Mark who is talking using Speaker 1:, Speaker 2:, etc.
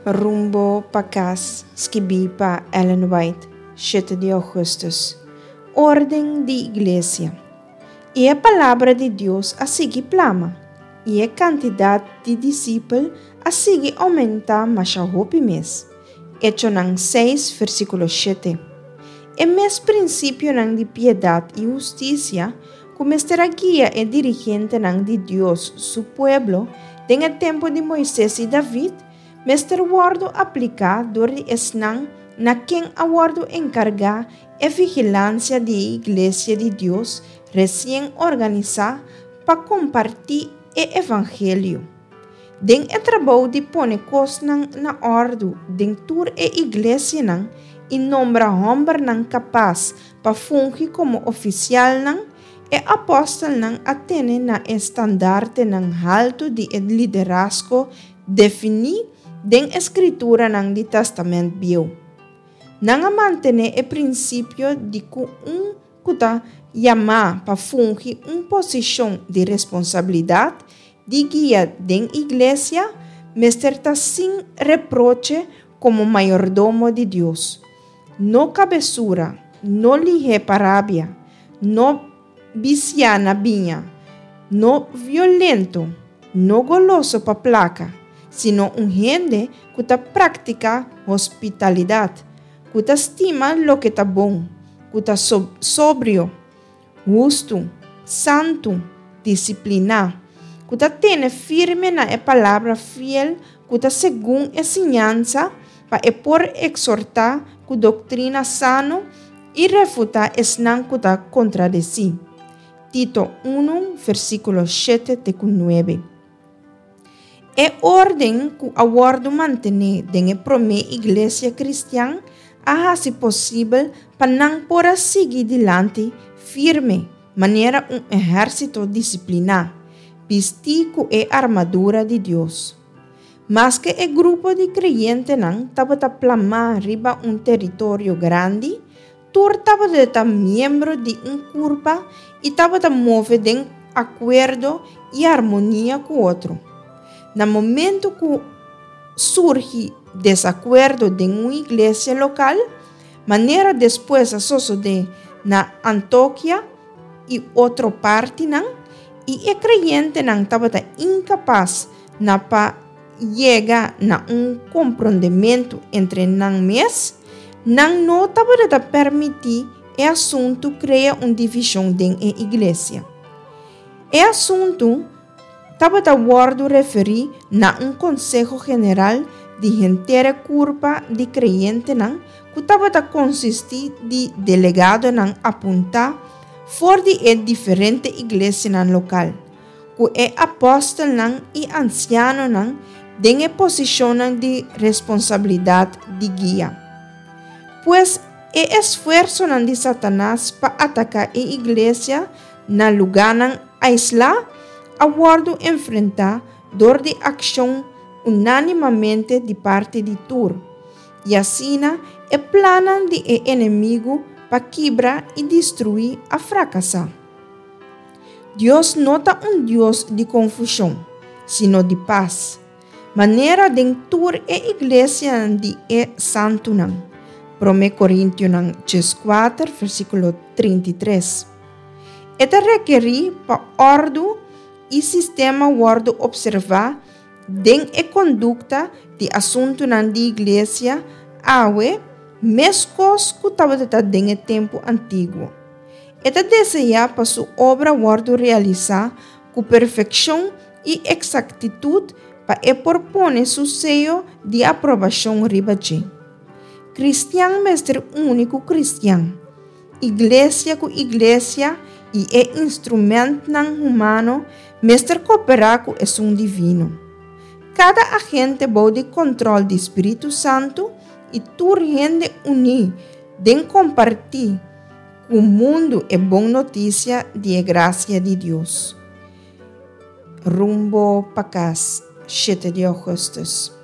Speaker 1: Rumbo pa kas, skibí pa Ellen White, shete di ougùstùs. Órden di Iglesia. I e palabra di Dios a sigui plama, i e kantidat di disipel a sigui oumentá masha hopi mes. Echonan seis, versíkulo shete. E mes prinsipionan di piedat i hustisia ku mester a guia e dirigentenan di Dios su pueblo den e tempu di Moises i David, mester wòrdu apliká dor di esnan na ken a wòrdu enkargá e vigilansia di e Iglesia di Dios resien organisá pa kompartí e evangelio. Den e trabou di pone kosnan na òrdu den tur e iglesianan i nombra hòmbernan kapas pa fungi komo ofisialnan, e apòstelnan a tene na e standartenan haltu di e liderazgo definí den e Skrituranan di Tèstamènt Bieu. Nan a mantené e prinsipio di ku un ku ta yamá pa fungi un posishon di responsabilidat di guia den iglesia mester ta sin reproche komo mayordomo di Dios, no kabesura, no lihé pa rabia, no bisiá na biña, no violento, no goloso pa plaka, sino un hende ku ta praktiká hospitalidat, ku ta stima loke ta bon, ku ta sobrio, hustu, santu, disipliná, ku ta tene firme na e palabra fiel ku ta segun e siñansa pa e por eksortá ku doktrina sano i refutá esnan ku ta kontradesí. Tito unu, versíkulo shete te ku nuebe. E órden ku a wòrdu mantené den e promé iglesia kristian a hasi posibel pa nan por a sigui dilanti firme manera un ehérsito disipliná, bistí ku e armadura di Dios. Maske e grupo di kreyentenan tabata plamá riba un teritorio grandi, tur tabata ta miembro di un kurpa i tabata move den akuerdo i armonia ku otro. Na momentu ku surgi desakuerdo den un iglesia lokal, manera despues a sosodé na Antokia i otro partinan, i e kreyentenan tabata inkapas na pa yega na un komprondementu entre nan mes, nan no tabata ta permití e asuntu krea un divishon den e iglesia. E asuntu tabata wòrdu referí na un konseho general di henter e kurpa di kreyentenan ku tabata konsistí di delegadonan apuntá for di e diferente iglesianan lokal, ku e apòstelnan i ansianonan den e posishonnan di responsabilidat di guia. Pues, e esfuersonan di Satanas pa ataká e iglesia na lugánan aislá a wòrdu enfrentá dor di akshon unánimamente di parti di tur, i asina e plannan di e enemigu pa kibra i destruí a frakasá. Dios no ta un Dios di konfushon, sino di pas, manera den tur e iglesianan di e santunan, Promé Korintionan dieskuater versíkulo 33. E ta rekerí pa òrdu i sistema wòrdu opservá den e kondukta di asuntunan di iglesia awe meskos ku tabata ta den e tempu antiguo. E ta deseá pa su obra wòrdu realisá ku perfekshon i eksaktitut pa e por pone su seyo di aprobashon riba dje. Kristian mester uni ku kristian, iglesia ku iglesia i e instrumentnan humano mester koperá ku esun divino. Kada agente bou di kontròl di Spiritu Santu i tur hende uní den kompartí Ku mundu e bon notisia di e grasia di Dios. Rumbo pa kas, shete di ougùstùs.